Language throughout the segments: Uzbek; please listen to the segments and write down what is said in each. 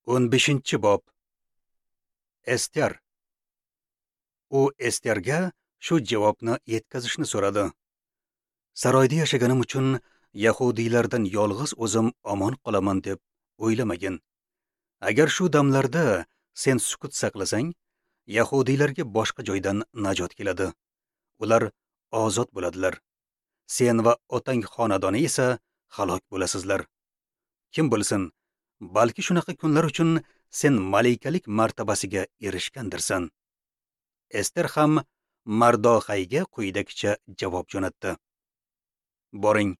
15-bob. Ester. U Esterga shu javobni yetkazishni so'radi. Saroyda yashaganim uchun yahudiylardan yolg'iz o'zim omon qolaman deb o'ylamagin. Agar shu damlarda sen sukut saqlasang, yahudiylarga boshqa joydan najot keladi. Ular ozod bo'ladilar. Sen va otang xonadoni esa halok bo'lasizlar. Kim bilsin, balki shunaqa kunlar uchun sen malikalik martabasiga erishgandirsan. Ester ham Mardoxayga quyidagicha javob jo'natdi. Boring,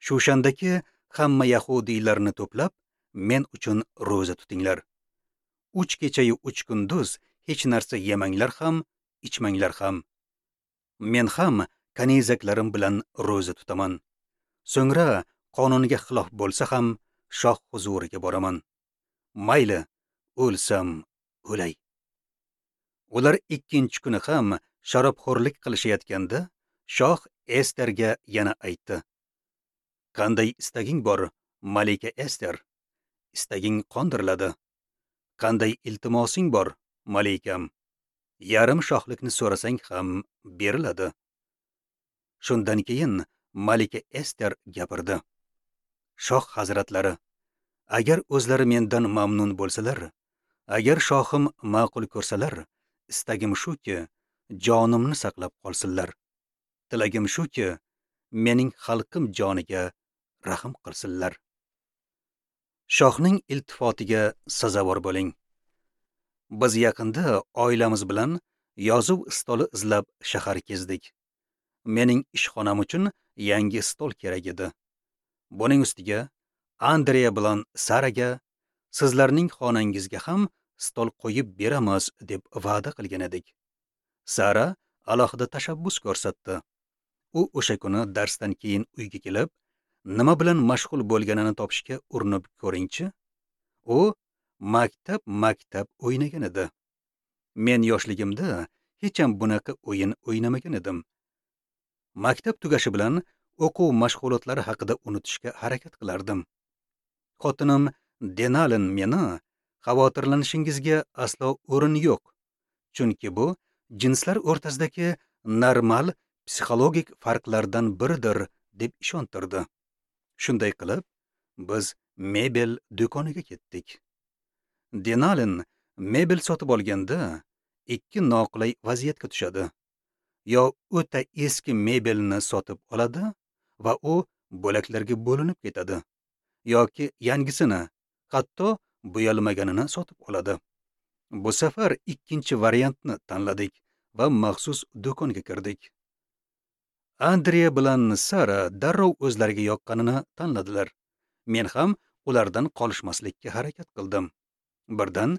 Shushandagi hamma yahudiylarni to'plab, men uchun ro'za tutinglar. 3 kechayu 3 kunduz hech narsa yemanglar ham, ichmanglar ham. Men ham kanizaklarim bilan ro'za tutaman. So'ngra qonunga xilof bo'lsa ham shoh huzuriga boraman. Mayli, o'lsam o'lay. Ular 2-kuni ham sharobxo'rlik qilishayotganda shoh Esterga yana aytdi: Qanday istaging bor, malika Ester? Istaging qondiriladi. Qanday iltimosing bor, malikam? Yarim shohlikni so'rasang ham beriladi. Shundan keyin malika Ester gapirdi. Shoh hazratlari, agar o'zlari mendan mamnun bo'lsalar, agar shohim ma'qul ko'rsalar, istagim shuki, jonimni saqlab qolsinlar. Tilagim shuki, mening xalqim joniga rahm qilsinlar. Shohning iltifotiga sazovor bo'ling. Biz yaqinda oilamiz bilan yozuv stoli izlab shahar kezdik. Mening ishxonam uchun yangi stol kerak edi. Buning ustiga Andrea bilan Saraga sizlarning xonangizga ham stol qo'yib beramiz deb va'da qilgan edik. Sara alohida tashabbus ko'rsatdi. U o'sha kuni darsdan keyin uyga kelib, nima bilan mashg'ul bo'lganini topishga urinib ko'ringchi. U maktab o'ynagan edi. Men yoshligimda hech ham bunaqa o'yin o'ynamagan edim. Maktab tugashi bilan o'quv mashg'ulotlari haqida unutishga harakat qilardim. Xotinim Denalin meni xavotirlanishingizga aslo o'rin yo'q, chunki bu jinslar o'rtasidagi normal psixologik farqlardan biridir deb ishontirdi. Shunday qilib, biz mebel do'koniga ketdik. Denalin mebel sotib olganda 2 noqulay vaziyatga tushadi. Yo o'ta eski mebelni sotib oladi va u bo'laklarga bo'linib ketadi, yoki yangisini, hatto bo'yalmaganini sotib oladi. Bu safar 2-chi variantni tanladik va maxsus do'konga kirdik. Andrea bilan Sara darrov o'zlariga yoqqanini tanladilar. Men ham ulardan qolishmaslikka harakat qildim. Birdan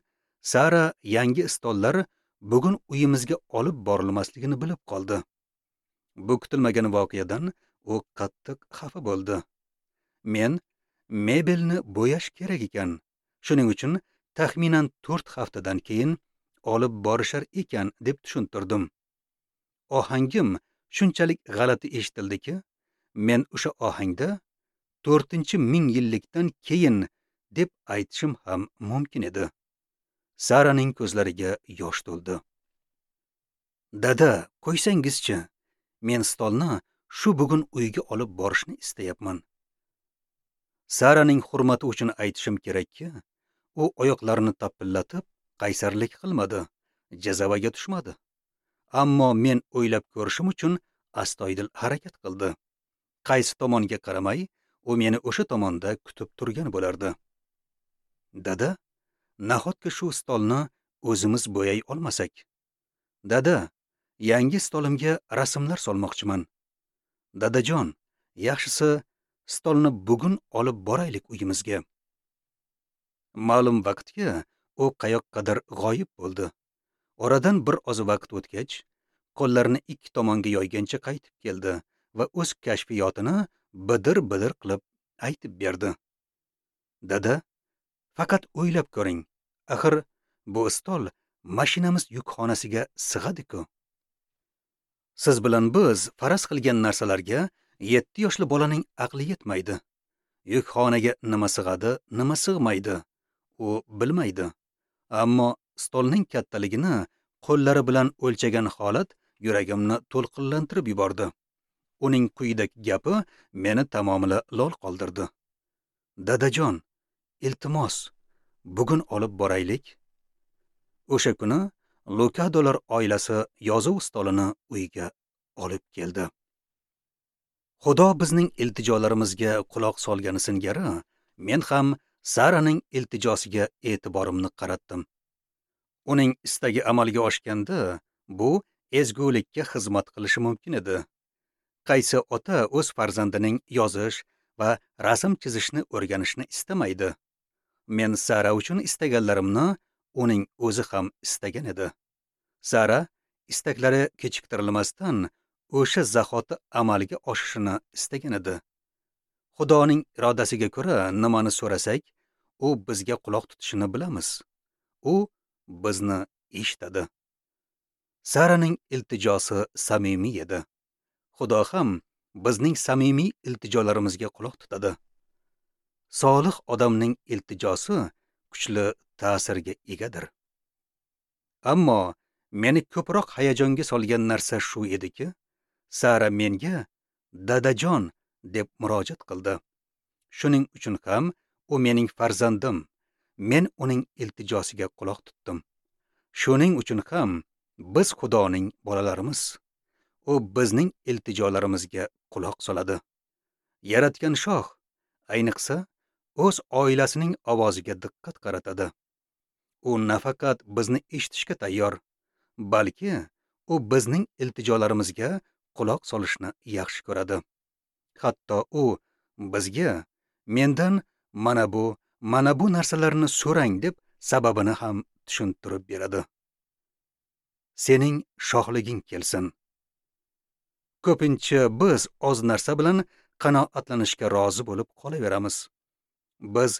Sara yangi stollar bugun uyimizga olib borilmasligini bilib qoldi. Bu kutilmagan voqeadan u qattiq xafa bo'ldi. Men mebelni bo'yash kerak ekan, shuning uchun taxminan 4 haftadan keyin olib borishar ekan deb tushuntirdim. Ohangim shunchalik g'alati eshitildiki, men o'sha ohangda 4-ming yillikdan keyin deb aytishim ham mumkin edi. Saraning ko'zlariga yosh to'ldi. Dada, qo'ysangizchi, men stolni shu bugun uyga olib borishni istayapman. Saraning hurmati uchun aytishim kerakki, u oyoqlarini tapillatib, qaysarlik qilmadi, jazavaga tushmadi. Ammo men o'ylab ko'rishim uchun astoydil harakat qildi. Qaysi tomonga qaramay, u meni o'sha tomonda kutib turgan bo'lardi. Dada, nahotki shu stolni o'zimiz bo'yay olmasak? Dada, yangi stolimga rasmlar solmoqchiman. Dadajon, yaxshisi stolni bugun olib boraylik uyimizga. Ma'lum vaqtga u qayoqqadir g'oyib bo'ldi. Oradan bir oz vaqt o'tgach, qo'llarini 2 tomonga yoygancha qaytib keldi va o'z kashfiyotini bidir-bidir qilib aytib berdi. Dada, faqat o'ylab ko'ring. Axir bu stol mashinamiz yukxonasiga sig'adi-ku. Siz bilan biz faraz qilgan narsalarga 7 yoshli bolaning aqli yetmaydi. Yukxonaga nima sig'adi, nima sig'maydi. u bilmaydi. Ammo stolning kattaligini qo'llari bilan o'lchagan holat yuragimni to'lqinlantirib yubordi. Uning quyidagi gapi meni tamomila lol qoldirdi. Dadajon, iltimos, bugun olib boraylik. O'sha kuni Lukadolar oilasi yozuv stolini uyga olib keldi. Xudo bizning iltijolarimizga quloq solgani singari, men ham Saraning iltijosiga e'tiborimni qaratdim. Uning istagi amalga oshganda, bu ezgulikka xizmat qilishi mumkin edi. Qaysi ota o'z farzandining yozish va rasm chizishni o'rganishni istamaydi? Men Sara uchun istaganlarimni uning o'zi ham istagan edi. Sara istaklari kechiktirilmasdan o'sha zahoti amalga oshishini istagan edi. Xudoning irodasiga ko'ra nimani so'rasak, u bizga quloq tutishini bilamiz. U bizni eshitadi. Saraning iltijosi samimiy edi. Xudo ham bizning samimiy iltijolarimizga quloq tutadi. Solih odamning iltijosi kuchli ta'sirga egadir. Ammo meni ko'proq hayajonga solgan narsa shu ediki, Sara menga dadajon deb murojaat qildi. Shuning uchun ham u mening farzandim. Men uning iltijosiga quloq tutdim. Shuning uchun ham biz Xudoning bolalarimiz. U bizning iltijolarimizga quloq soladi. Yaratgan shoh, ayniqsa, o'z oilasining ovoziga diqqat qaratadi. U nafaqat bizni eshitishga tayyor, balki u bizning iltijolarimizga quloq solishni yaxshi ko'radi. Hatto u bizga mendan mana bu narsalarni so'rang deb sababini ham tushuntirib beradi. Sening shohliging kelsin. Ko'pincha biz oz narsa bilan qanoatlanishga rozi bo'lib qolaveramiz. Biz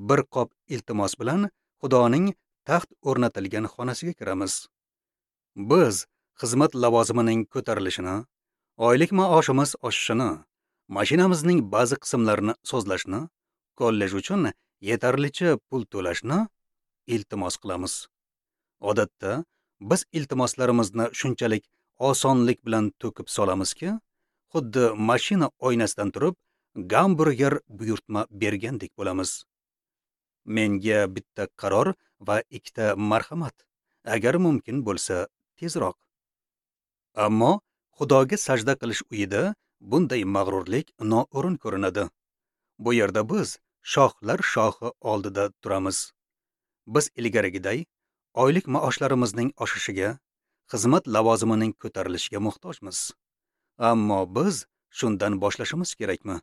bir qop iltimos bilan Xudoning taxt o'rnatilgan xonasiga kiramiz. Biz xizmat lavozimining ko'tarilishini, oylik maoshimiz oshishini, mashinamizning ba'zi qismlarini sozlashni, kollej uchun yetarlicha pul to'lashni iltimos qilamiz. Odatda biz iltimoslarimizni shunchalik osonlik bilan to'kib solamizki, xuddi mashina oynasidan turib gamburger buyurtma bergandek bo'lamiz. Menga bitta qaror va ikkita marhamat, agar mumkin bo'lsa tezroq. Ammo Xudoga sajda qilish uyida bunday mag'rurlik noo'rin ko'rinadi. Bu yerda biz shohlar shohi oldida turamiz. Biz ilgarigiday oylik maoshlarimizning oshishiga, xizmat lavozimining ko'tarilishiga muhtojmiz. Ammo biz shundan boshlashimiz kerakmi?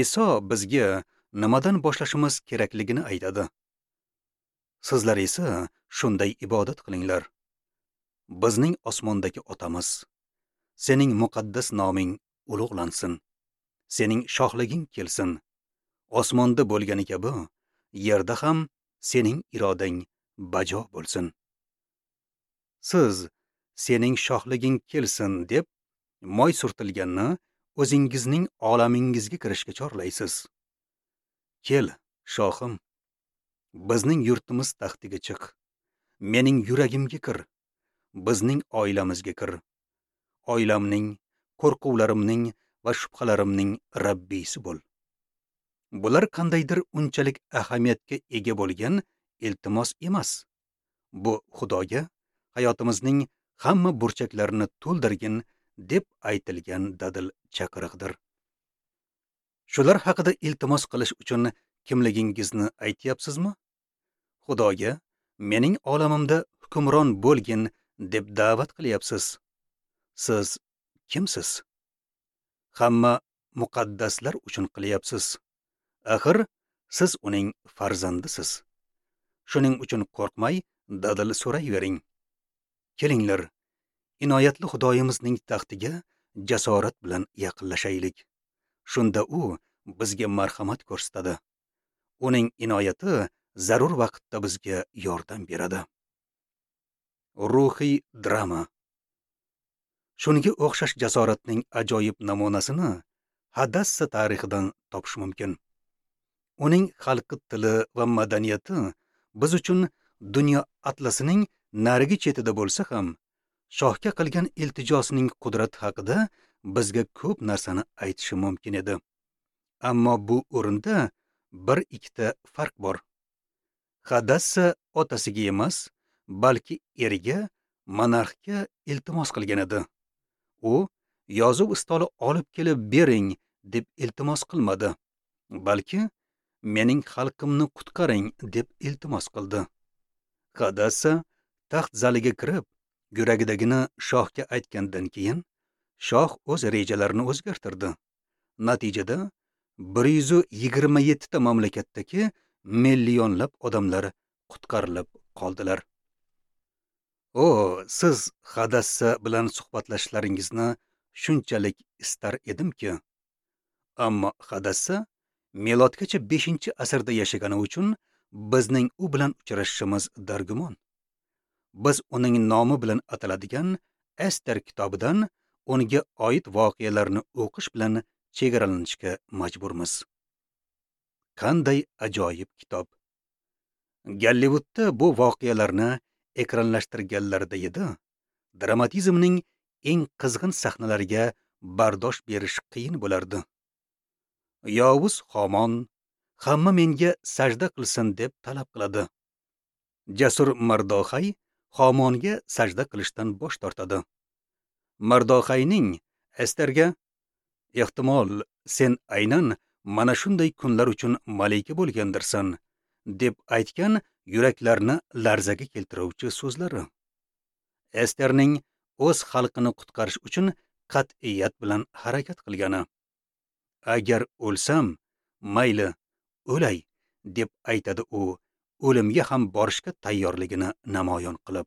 Iso bizga nimadan boshlashimiz kerakligini aytadi. Sizlar esa shunday ibodat qilinglar. Bizning osmondagi otamiz, sening muqaddas noming ulug'lansin. Sening shohliging kelsin. Osmonda bo'lgani kabi, yerda ham sening irodang bajo bo'lsin. Siz sening shohliging kelsin deb moy surtilganni o'zingizning olamingizga kirishga chorlaysiz. Kel, shohim, bizning yurtimiz taxtiga chiq. Mening yuragimga kir. Bizning oilamizga kir. Oilamning, qo'rquvlarimning va shubhalarimning Rabbisi bo'l. Bular qandaydir unchalik ahamiyatga ega bo'lgan iltimos emas. Bu Xudoga hayotimizning hamma burchaklarini to'ldirgin deb aytilgan dadil chaqiriqdir. Shular haqida iltimos qilish uchun kimligingizni aytyapsizmi? Xudoga mening olamimda hukmron bo'lgin deb da'vat qilyapsiz. Siz kimsiz? Hamma muqaddaslar uchun qilyapsiz. Axir siz uning farzandisiz. Shuning uchun qo'rqmay dadil so'rayvering. Kelinglar, inoyatli Xudoyimizning taxtiga jasorat bilan yaqinlashaylik. Shunda u bizga marhamat ko'rsatadi. Uning inoyati zarur vaqtda bizga yordam beradi. Ruhiy drama. Shunga o'xshash jasoratning ajoyib namunasini Hadassa tarixidan topish mumkin. Uning xalqi tili va madaniyati biz uchun dunyo atlasining narigi chetida bo'lsa ham, shohga qilgan iltijosining qudrati haqida bizga ko'p narsani aytishi mumkin edi. Ammo bu o'rinda bir ikkita farq bor. Hadassa otasiga emas, balki eriga, monarxga iltimos qilgan edi. U yozuv stoli olib kelib bering deb iltimos qilmadi, balki mening xalqimni qutqaring deb iltimos qildi. Hadassa taxt zaliga kirib, yuragidagini shohga aytgandan keyin shoh o'z rejalarini o'zgartirdi. Natijada 127 ta mamlakatdagi millionlab odamlar qutqarilib qoldilar. O, siz Hadassa bilan suhbatlashishlaringizni shunchalik istar edimki. Ammo Hadassa milodgacha 5-asrda yashagani uchun bizning u bilan uchrashishimiz dargumon. Biz uning nomi bilan ataladigan Ester kitobidan unga oid voqealarni o'qish bilan chegaralanishga majburmiz. Qanday ajoyib kitob! Gollivudda bu voqealarni ekranlashtirganlarida edi, dramatizmning eng qizg'in sahnalariga bardosh berish qiyin bo'lardi. Yovuz Homon hamma menga sajda qilsin deb talab qiladi. Jasur Mardoxay Homonga sajda qilishdan bosh tortadi. Mardoxayning Esterga: "Ehtimol sen aynan mana shunday kunlar uchun malika bo'lgandirsan" deb aytgan yuraklarni larzaga keltiruvchi so'zlari. Esterning o'z xalqini qutqarish uchun qat'iyat bilan harakat qilgani. Agar o'lsam, mayli, o'lay deb aytadi u, o'limga ham borishga tayyorligini namoyon qilib.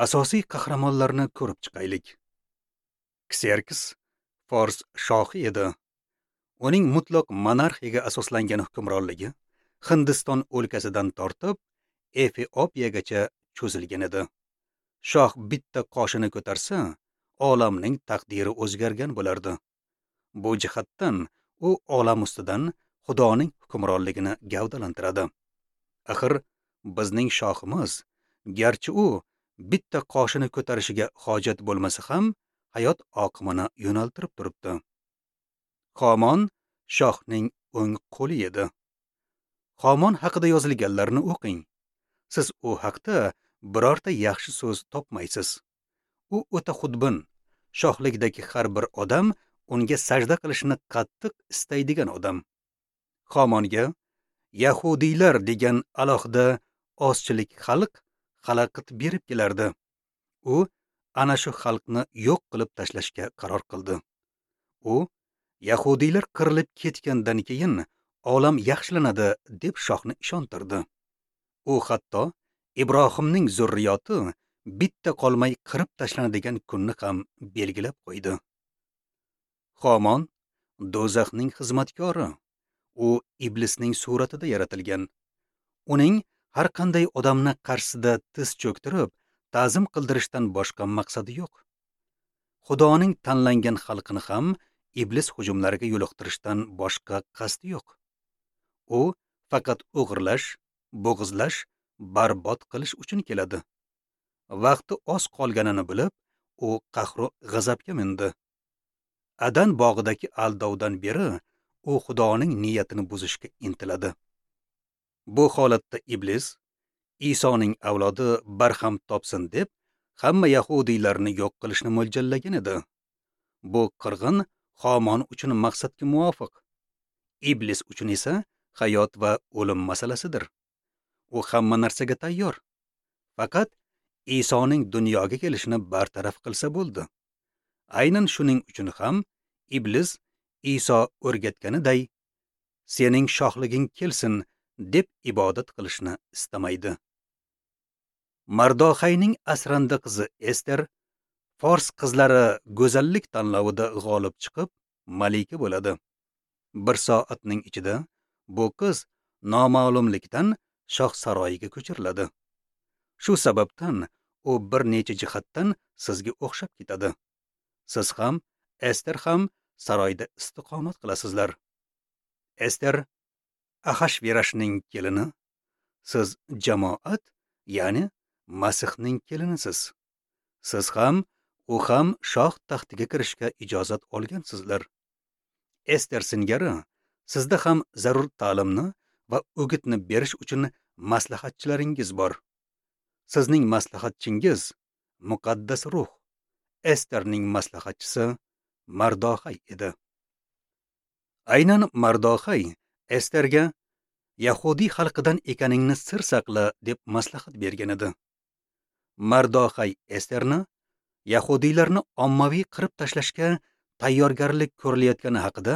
Asosiy qahramonlarni ko'rib chiqaylik. Kserks fors shohi edi. Uning mutlaq monarxiyaga asoslangan hukmronligi Hindiston o'lkasidan tortib Efiopiyagacha cho'zilgan edi. Shoh bitta qoshini ko'tarsa, olamning taqdiri o'zgargan bo'lardi. Bu jihatdan u olam ustidan Xudoning hukmronligini gavdalantiradi. Axir bizning shohimiz, garchi u bitta qoshini ko'tarishiga hojat bo'lmasa ham, hayot oqimini yo'naltirib turibdi. Homon shohning o'ng qo'li edi. Homon haqida yozilganlarni o'qing. Siz u haqda birorta yaxshi so'z topmaysiz. U o'ta xudbin, shohlikdagi har bir odam unga sajda qilishni qattiq istaydigan odam. Homonga yahudiylar degan alohida ozchilik xalq xalaqit berib kelardi. U ana shu xalqni yo'q qilib tashlashga qaror qildi. U yahudiylar qirilib ketgandan keyin olam yaxshilanadi deb shohni ishontirdi. U hatto Ibrohimning zurriyoti bitta qolmay qirib tashlanadigan kunni ham belgilab qo'ydi. Homon do'zaxning xizmatkori. U iblisning suratida yaratilgan. Uning har qanday odamni qarshisida tiz cho'ktirib, ta'zim qildirishdan boshqa maqsadi yo'q. Xudoning tanlangan xalqini ham iblis hujumlariga yo'liqtirishdan boshqa qasdi yo'q. U faqat o'g'irlash, bo'g'izlash, barbod qilish uchun keladi. Vaqti oz qolganini bilib, u qahru g'azabga mindi. Adan bog'idagi aldovdan beri u Xudoning niyatini buzishga intiladi. Bu holatda iblis Isoning avlodi barham topsin deb hamma yahudiylarni yo'q qilishni mo'ljallagan edi. Bu qirg'in Homon uchun maqsadga muvofiq. Iblis uchun esa hayot va o'lim masalasidir. U hamma narsaga tayyor. Faqat Isoning dunyoga kelishini bartaraf qilsa bo'ldi. Aynan shuning uchun ham iblis Iso o'rgatganiday sening shohliging kelsin deb ibodat qilishni istamaydi. Mardoxayning asrandi qizi Ester fors qizlari go'zallik tanlovida g'olib chiqib malika bo'ladi. Bir soatning ichida bu qiz noma'lumlikdan shoh saroyiga ko'chiriladi. Shu sababdan u bir necha jihatdan sizga o'xshab ketadi. Siz ham, Ester ham saroyda istiqomat qilasizlar. Ester Axashverashning kelini, siz jamoat, ya'ni Masihning kelinisiz. Siz ham, u ham shoh taxtiga kirishga ijozat olgansizlar. Ester singari sizda ham zarur ta'limni va o'gitni berish uchun maslahatchilaringiz bor. Sizning maslahatchingiz muqaddas ruh. Esterning maslahatchisi Mardoxay edi. Aynan Mardoxay Esterga yahudiy xalqidan ekaningni sir saqla deb maslahat bergan edi. Mardoxay Esterni yahudiylarni ommaviy qirib tashlashga tayyorgarlik ko'rilayotgani haqida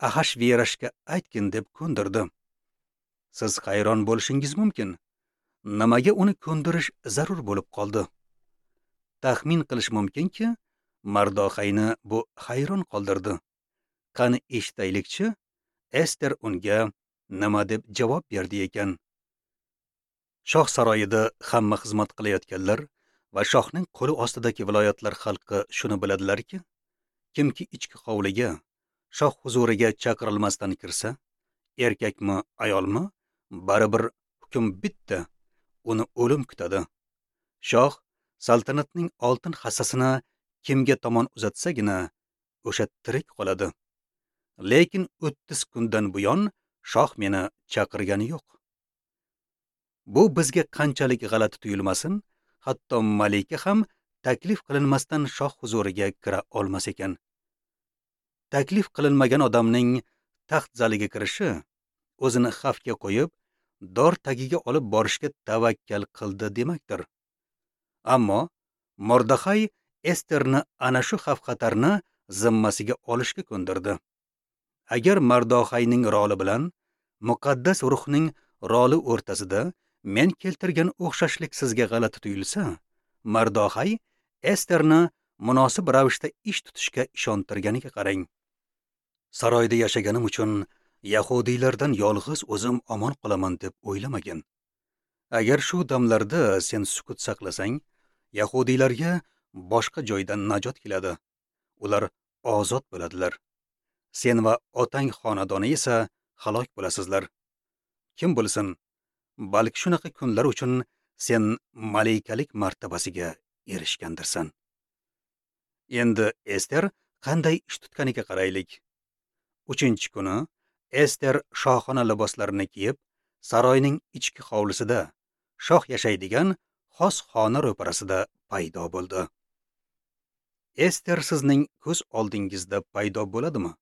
Axashverashga aytgin deb ko'ndirdi. Siz hayron bo'lishingiz mumkin. Nimaga uni ko'ndirish zarur bo'lib qoldi? Taxmin qilish mumkinki, Mardoxayni bu hayron qoldirdi. Qani eshitaylikchi, Ester unga nima deb javob berdi ekan? Shoh saroyida hamma xizmat qilayotganlar va shohning qo'li ostidagi viloyatlar xalqi shuni biladilarki, kimki ichki hovliga, shoh huzuriga chaqirilmasdan kirsa, erkakmi, ayolmi, baribir hukm bitta, uni o'lim kutadi. Shoh saltanatning oltin hassasini kimga tomon uzatsagina, o'sha tirik qoladi. Lekin 30 kundan buyon shoh meni chaqirgani yo'q. Bu bizga qanchalik g'alati tuyulmasin, hatto malika ham taklif qilinmasdan shoh huzuriga kira olmas ekan. Taklif qilinmagan odamning taxt zaliga kirishi o'zini xavfga qo'yib, dor tagiga olib borishga tavakkal qildi demakdir. Ammo Mordaxay Esterni ana shu xavf-xatarni zimmasiga olishga ko'ndirdi. Agar Mardoxayning roli bilan muqaddas ruhning roli o'rtasida men keltirgan o'xshashlik sizga g'alati tuyulsa, Mardoxay Esterni munosib ravishda ish tutishga ishontirganiga qarang. Saroyda yashaganim uchun yahudiylardan yolg'iz o'zim omon qolaman deb o'ylamagin. Agar shu damlarda sen sukut saqlasang, yahudiylarga boshqa joydan najot keladi. Ular ozod bo'ladilar. Sen va otang xonadoni esa halok bo'lasizlar. Kim bilsin, balki shunaqa kunlar uchun sen malikalik martabasiga erishgandirsan. Endi Ester qanday ish tutganiga qaraylik. 3-kuni Ester shohona liboslarini kiyib, saroyning ichki hovlisida, shoh yashaydigan xos xona ro'parasida paydo bo'ldi. Ester sizning ko'z oldingizda paydo bo'ladimi?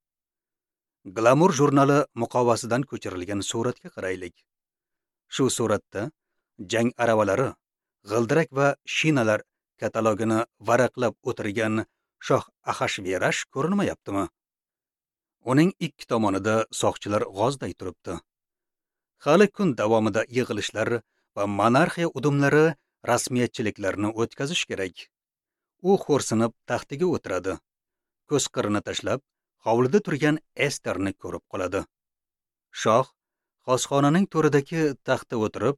Glamour jurnali muqovasidan ko'chirilgan suratga qaraylik. Shu suratda jang aravalari, g'ildirak va shinalar katalogini varaqlab o'tirgan shoh Axashverash ko'rinmayaptimi? Uning ikki tomonida soqchilar g'ozday turibdi. Hali kun davomida yig'ilishlar va monarxiya udumlari rasmiyatchiliklarni o'tkazish kerak. U xo'rsinib taxtiga o'tiradi. Ko'z qirini tashlab, hovlida turgan Esterni ko'rib qoladi. Shoh xosxonaning to'ridagi taxtda o'tirib,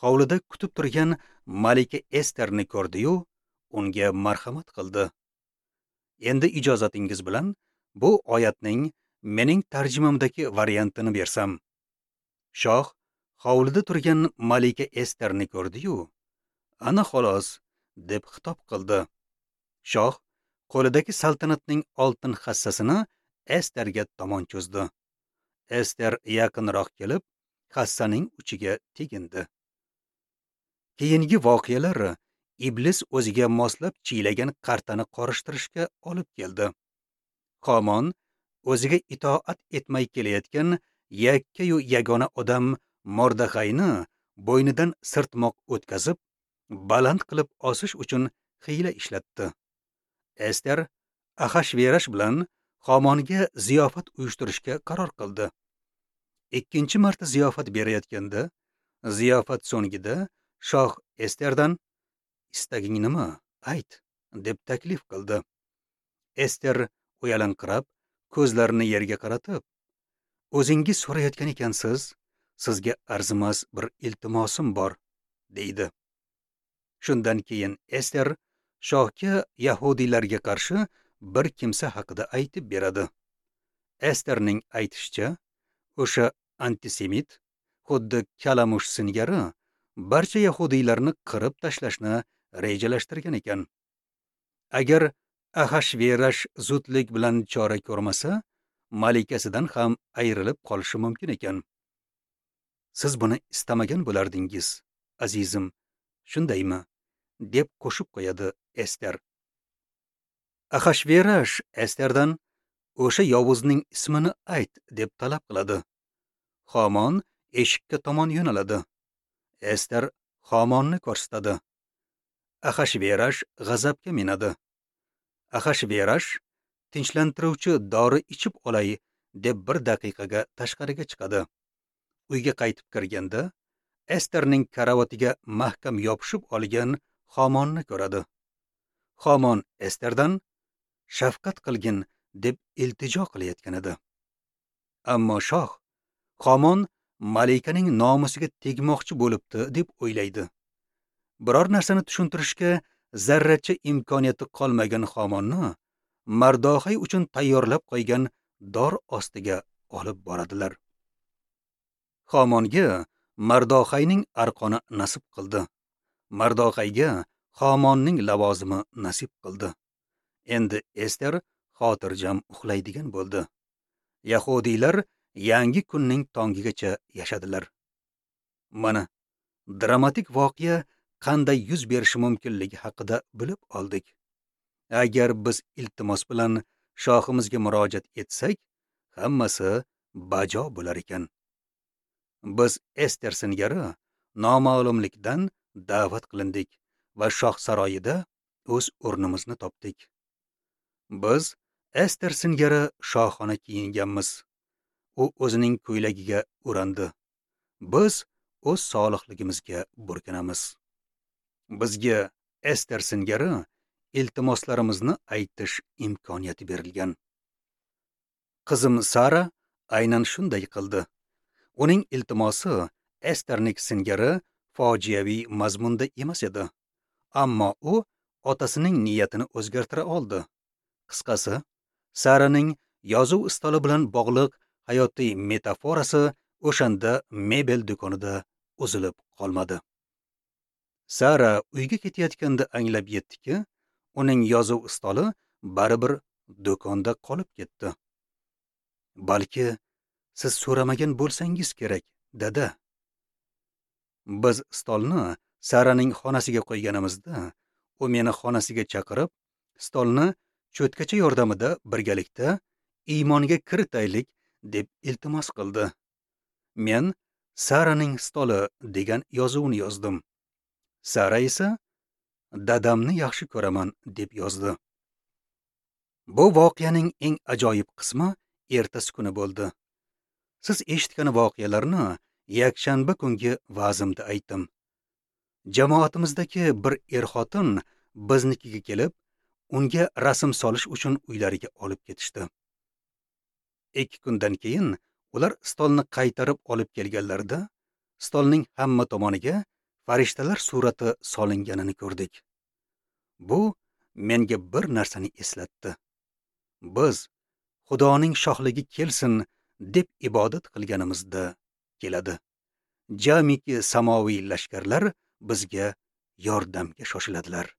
hovlida kutib turgan malika Esterni ko'rdi-yu, unga marhamat qildi. Endi ijozatingiz bilan bu oyatning mening tarjimamdagi variantini bersam. Shoh hovlida turgan malika Esterni ko'rdi-yu, ana xolos deb xitob qildi. Shoh qo'lidagi saltanatning oltin hassasini Esterga tomon cho'zdi. Ester yaqinroq kelib, hassaning uchiga tegindi. Keyingi voqealar iblis o'ziga moslab chiylagan qartani qorishtirishga olib keldi. Hamon o'ziga itoat etmay kelayotgan yakkayu yagona odam Mordaxayni bo'ynidan sirtmoq o'tkazib, baland qilib osish uchun hiyla ishlatdi. Ester Axashverash bilan Hamonga ziyofat uyushtirishga qaror qildi. Ikkinchi marta ziyofat berayotganda, ziyofat so'ngida shoh Esterdan "Istaging nima? Ayt" deb taklif qildi. Ester uyalanqirab, ko'zlarini yerga qaratib, "O'zingiz so'rayotgan ekansiz, sizga arzimas bir iltimosim bor" deydi. Shundan keyin Ester shohga yahudiylarga qarshi bir kimsa haqida aytib beradi. Esterning aytishicha, o'sha antisemit, xuddi kalamush singari barcha yahudiylarni qirib tashlashni rejalashtirgan ekan. Agar Axashverash zudlik bilan chora ko'rmasa, malikasidan ham ayrilib qolishi mumkin ekan. Siz buni istamagan bo'lardingiz, azizim, shundaymi? Deb qo'shib qo'yadi Ester. Axashverash Esterdan o'sha yovuzning ismini ayt deb talab qiladi. Xomon eshikka tomon yo'naladi. Ester Xomonni ko'rsatadi. Axashverash g'azabga minadi. Axashverash tinchlantiruvchi dori ichib olay deb bir daqiqaga tashqariga chiqadi. Uyga qaytib kirganda Esterning karavatiga mahkam yopishib olgan Xomonni ko'radi. Xomon Esterdan shafqat qilgin deb iltijo qilayotgan edi. Ammo shoh Xomon malikaning nomusiga tegmoqchi bo'libdi deb o'ylaydi. Biror narsani tushuntirishga zarracha imkoniyati qolmagan Xomonni Mardoxay uchun tayyorlab qo'ygan dor ostiga olib boradilar. Xomonga Mardoxayning arqoni nasib qildi. Mardoxayga Xomonning lavozimi nasib qildi. Endi Ester xotirjam uxlaydigan bo'ldi. Yahudiylar yangi kunning tongigacha yashadilar. Mana dramatik voqea qanday yuz berishi mumkinligi haqida bilib oldik. Agar biz iltimos bilan shohimizga murojaat etsak, hammasi bajo bo'lar ekan. Biz Ester singari noma'lumlikdan da'vat qilindik va shoh saroyida o'z o'rnimizni topdik. Biz Ester singari shohona kiyinganmiz. U o'zining ko'ylagiga o'randi. Biz o'z solihligimizga burkanamiz. Bizga Ester singari iltimoslarimizni aytish imkoniyati berilgan. Qizim Sara aynan shunday qildi. Uning iltimosi Esternik singari fojiaviy mazmunda emas edi. Ammo u otasining niyatini o'zgartira oldi. Qisqasi, Saraning yozuv stoli bilan bog'liq hayotiy metaforasi o'shanda mebel do'konida uzilib qolmadi. Sara uyga ketayotganda anglab yetdiki, uning yozuv stoli baribir do'konda qolib ketdi. Balki siz so'ramagan bo'lsangiz kerak, dada. Biz stolni Saraning xonasiga qo'yganimizda, u meni xonasiga chaqirib, stolni cho'tkacha yordamida birgalikda iymonga kiritaylik deb iltimos qildi. Men Saraning stoli degan yozuvni yozdim. Sara esa dadamni yaxshi ko'raman deb yozdi. Bu voqeaning eng ajoyib qismi ertasi kuni bo'ldi. Siz eshitgan voqealarni yakshanba kungi va'zimda aytdim. Jamoatimizdagi bir er-xotin biznikiga kelib, unga rasm solish uchun uylariga olib ketishdi. 2 kundan keyin ular stolni qaytarib olib kelganlarida, stolning hamma tomoniga farishtalar surati solinganini ko'rdik. Bu menga bir narsani eslatdi. Biz Xudoning shohligi kelsin deb ibodat qilganimizda keladi. Jamiki samoviy lashkarlar bizga yordamga shoshiladilar.